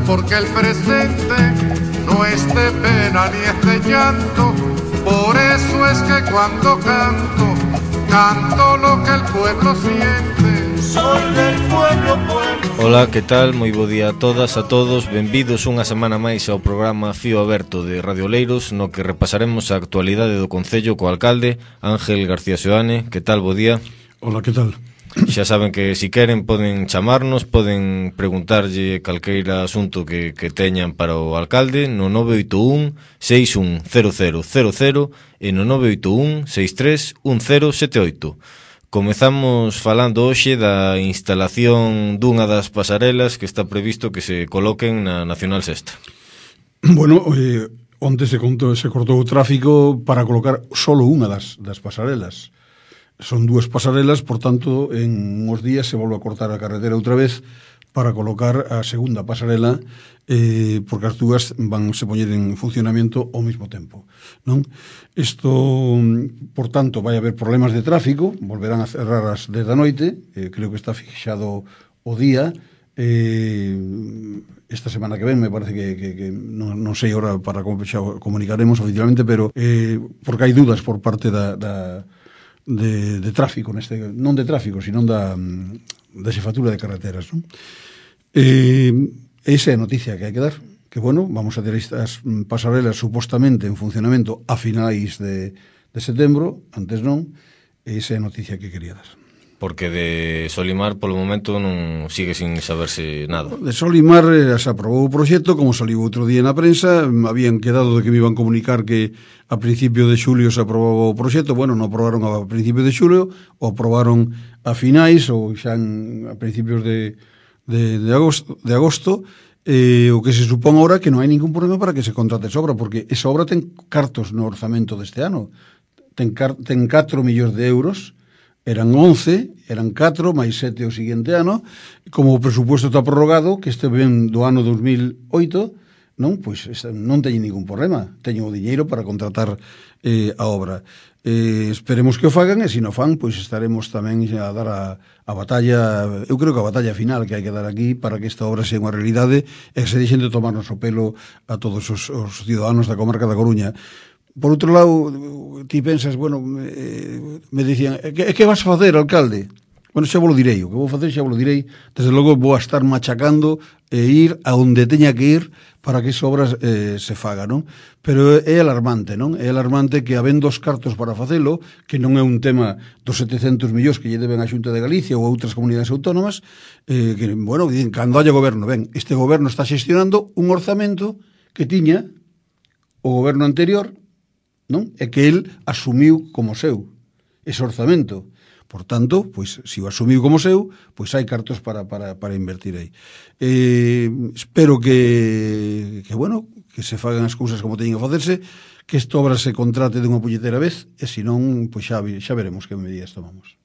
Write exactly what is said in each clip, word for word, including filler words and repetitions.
porque el presente no es de pena ni es de llanto. Por eso es que cuando canto, canto lo que el pueblo siente. Soy del pueblo, pueblo. Hola, que tal? Moi bo día a todas, a todos. Benvidos unha semana máis ao programa Fío Aberto de Radio Oleiros, no que repasaremos a actualidade do Concello co alcalde Ángel García Seoane. Que tal? Bo día. Hola, que tal? Xa saben que si queren poden chamarnos, poden preguntarlle calqueira asunto que, que teñan para o alcalde no nove oito un, seis un cero cero cero cero e no nove oito un, seis tres un cero sete oito. Comezamos falando hoxe da instalación dunha das pasarelas que está previsto que se coloquen na Nacional Sexta. Bueno, eh, onte se, conto, se cortou o tráfico para colocar solo unha das, das pasarelas. Son dúas pasarelas, por tanto, en uns días se volve a cortar a carretera outra vez para colocar a segunda pasarela, eh, porque as dúas van se poñer en funcionamento ao mesmo tempo, non? Isto, por tanto, vai haber problemas de tráfico, volverán a cerrar as dez da noite, eh, creo que está fixado o día, eh, esta semana que ven, me parece que, que, que non, non sei ahora para como xa comunicaremos oficialmente, pero eh, porque hai dudas por parte da... da De, de tráfico, neste, non de tráfico, sino da, da xefatura de carreteras, non? Eh, esa é a noticia que hai que dar, que, bueno, vamos a ter estas pasarelas supostamente en funcionamento a finais de, de setembro, antes non, esa é a noticia que quería dar. Porque de Solimar, polo momento, non sigue sin saberse nada. De Solimar eh, se aprobou o proxecto, como saliu outro día na prensa, habían quedado de que me iban comunicar que a principio de xulio se aprobaba o proxecto. Bueno, non aprobaron a principio de xulio, o aprobaron a finais ou xa en, a principios de, de, de agosto, de agosto eh, o que se supón ahora que non hai ningún problema para que se contrate esa obra, porque esa obra ten cartos no orzamento deste ano, ten, car, ten catro millóns de euros. Eran once, eran catro, máis sete o seguinte ano, como o presupuesto está prorrogado, que este ven do ano dos mil oito, non, pois non teñen ningún problema, teñen o diñeiro para contratar eh, a obra. Eh, esperemos que o fagan, e se non fan, pois estaremos tamén a dar a, a batalla, eu creo que a batalla final que hai que dar aquí para que esta obra sea unha realidade e que se deixen de tomarnos o pelo a todos os, os ciudadanos da comarca da Coruña. Por outro lado, ti pensas, bueno, eh, me dicían, que, que vas a facer, alcalde? Bueno, xa vos lo direi, o que vou facer xa vos lo direi, desde logo vou a estar machacando e ir a onde teña que ir para que esa obra eh, se faga, non? Pero é alarmante, non? É alarmante que habendo os cartos para facelo, que non é un tema dos setecentos millóns que lle deben a Xunta de Galicia ou a outras comunidades autónomas, eh, que, bueno, dicen, cando haya goberno, ben, este goberno está xestionando un orzamento que tiña o goberno anterior, non? É que el asumiu como seu ese orzamento. Por tanto, pois, se o asumiu como seu, pois hai cartos para, para, para invertir aí. Eh, espero que, que, bueno, que se fagan as cousas como teñen que facerse, que esta obra se contrate de unha puñetera vez, e se non, pois xa, xa veremos que medidas tomamos.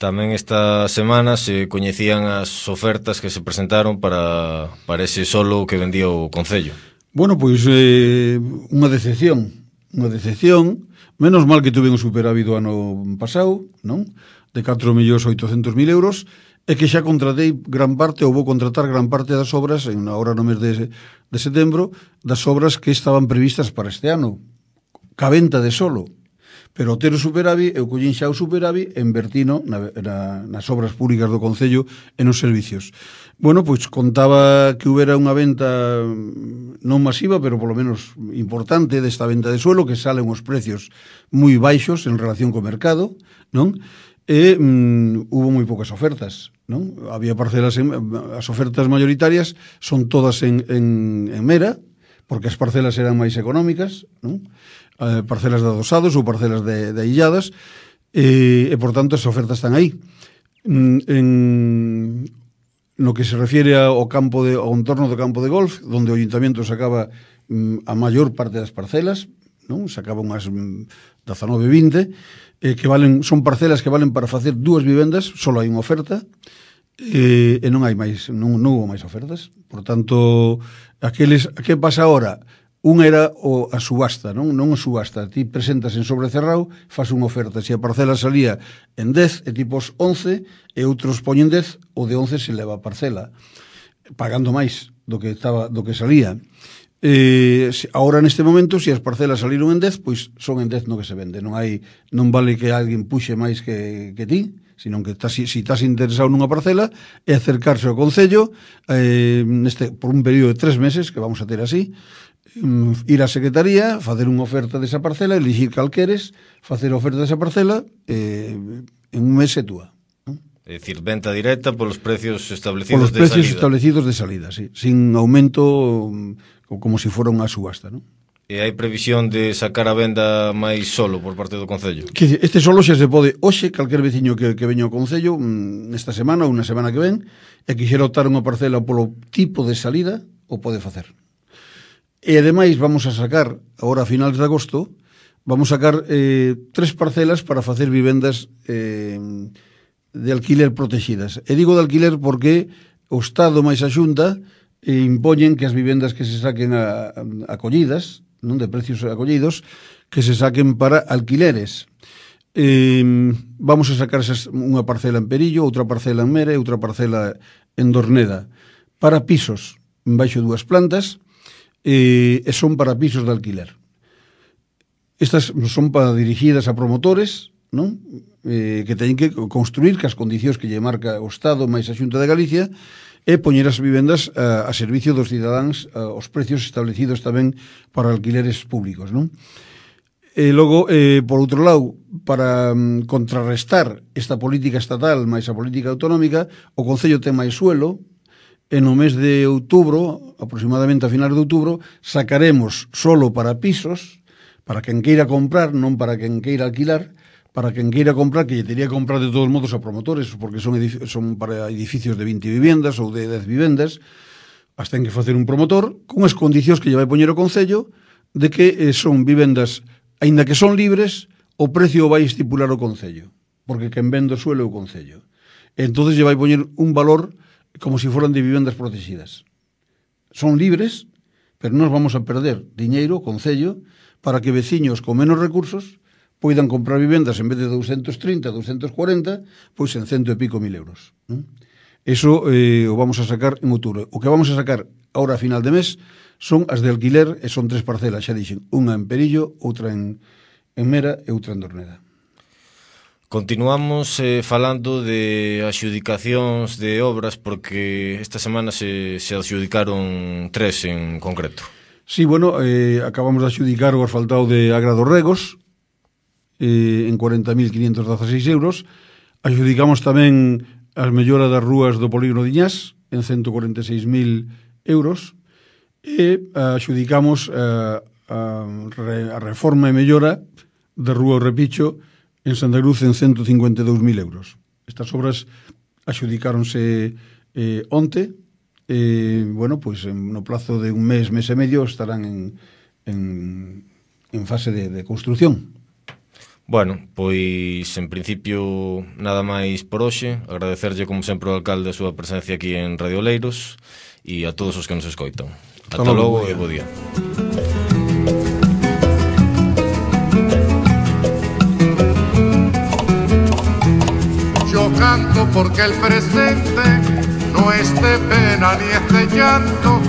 Tamén esta semana se coñecían as ofertas que se presentaron para, para ese solo que vendía o Concello. Bueno, pois eh, unha decepción. Unha decepción, menos mal que tuve un superávit do ano pasado, non? De catro millóns oitocentos mil euros, e que xa contratei gran parte, ou vou contratar gran parte das obras, en agora no mes de, de setembro, das obras que estaban previstas para este ano, ca venta de solo. Pero ao ter o superávit, eu collín xa o superávit e invertino na, na, nas obras públicas do Concello e nos servicios. Bueno, pois contaba que houbera unha venta non masiva, pero polo menos importante desta venta de suelo, que salen os precios moi baixos en relación co mercado, non? E mm, hubo moi poucas ofertas, non? Había parcelas, en, as ofertas mayoritarias son todas en, en, en Mera, porque as parcelas eran máis económicas, non? Eh, parcelas de adosados ou parcelas de, de illadas, e, e por tanto as ofertas están aí. Mm, en no que se refiere ao campo de, ao entorno do campo de golf, onde o Ayuntamiento sacaba mm, a maior parte das parcelas, non? Sacaba unhas mm, dezanove, vinte, eh, que valen, son parcelas que valen para facer dúas vivendas, só hai unha oferta, e, e non hai máis, non, non hubo máis ofertas. Por tanto, aqueles, que pasa agora? Unha era o, a subasta, non? Non a subasta. Ti presentas en sobrecerrao, faz unha oferta. Se a parcela salía en dez, e tipos once, e outros poñen dez, o de once se leva a parcela, pagando máis. do que estaba do que salía. Eh, ahora neste momento, se as parcelas saliron en dez, pois son en dez no que se vende. Non hai non vale que alguén puxe máis que, que ti, sino que estás, si estás interesado nunha parcela, é acercarse ao Concello eh, neste, por un período de tres meses, que vamos a ter así, ir á Secretaría, facer unha oferta desa parcela, elegir calqueres, facer a oferta desa parcela, eh, en un mes é túa. É dicir, venta directa polos precios establecidos de salida. Polos precios salida. establecidos de salida, sí, sin aumento, como se si fora unha subasta, non? E hai previsión de sacar a venda máis solo por parte do Concello? Que este solo xa se pode, hoxe, calquer veciño que, que veña ao Concello, nesta semana ou na semana que ven, e quixera optar unha parcela polo tipo de salida, o pode facer. E ademais vamos a sacar, agora a finales de agosto, vamos a sacar eh, tres parcelas para facer vivendas eh, de alquiler protegidas. E digo de alquiler porque o Estado máis a Xunta eh, impoñen que as vivendas que se saquen a, a, acollidas, non de precios acollidos, que se saquen para alquileres. Eh, vamos a sacar esas, unha parcela en Perillo, outra parcela en Mera e outra parcela en Dorneda, para pisos, en baixo dúas plantas, eh, e son para pisos de alquiler. Estas son para dirigidas a promotores, non? Eh, que teñen que construir que as condicións que lle marca o Estado máis a Xunta de Galicia e poñer as vivendas a, a servicio dos cidadáns aos precios establecidos tamén para alquileres públicos, non? E logo, eh, por outro lado, para um, contrarrestar esta política estatal máis a política autonómica, o Concello ten máis suelo, e no mes de outubro, aproximadamente a finales de outubro, sacaremos solo para pisos, para quen queira comprar, non para quen queira alquilar, para quen queira comprar, que lle teria que comprar de todos modos a promotores, porque son, son para edificios de vinte vivendas ou de dez vivendas, as ten que facer un promotor, con as condicións que lle vai poñer o Concello, de que eh, son vivendas, aínda que son libres, o precio vai estipular o Concello, porque quen vende o suelo é o Concello. Entonces lle vai poñer un valor como se si foran de vivendas protegidas. Son libres, pero nos vamos a perder diñeiro, o Concello, para que veciños con menos recursos poidan comprar vivendas en vez de doscientos trinta, doscientos cuarenta, pois en cento e pico mil euros. Eso eh, o vamos a sacar en outubro. O que vamos a sacar ahora a final de mes son as de alquiler, e son tres parcelas, xa dixen, unha en Perillo, outra en, en Mera e outra en Dorneda. Continuamos eh, falando de axudicacións de obras, porque esta semana se, se adxudicaron tres en concreto. Sí, bueno, eh, acabamos de adxudicar o asfaltado de Agra dos Regos, eh, en cuarenta mil quinientos dieciséis euros. Adxudicamos tamén as melloras das rúas do Polígono de Iñás, en ciento cuarenta e seis mil euros, e adxudicamos a, a, a reforma e mellora da rúa O Repicho en Santa Cruz en ciento cincuenta e dous mil euros. Estas obras adxudicáronse eh, onte, e, bueno, pois pues, no plazo de un mes, mes e medio, estarán en, en, en fase de, de construción. Bueno, pois en principio nada máis por hoxe. Agradecerlle como sempre ao alcalde a súa presencia aquí en Radio Oleiros e a todos os que nos escoitan. Ata logo e bo día. Yo canto porque el presente no es de pena ni es de llanto,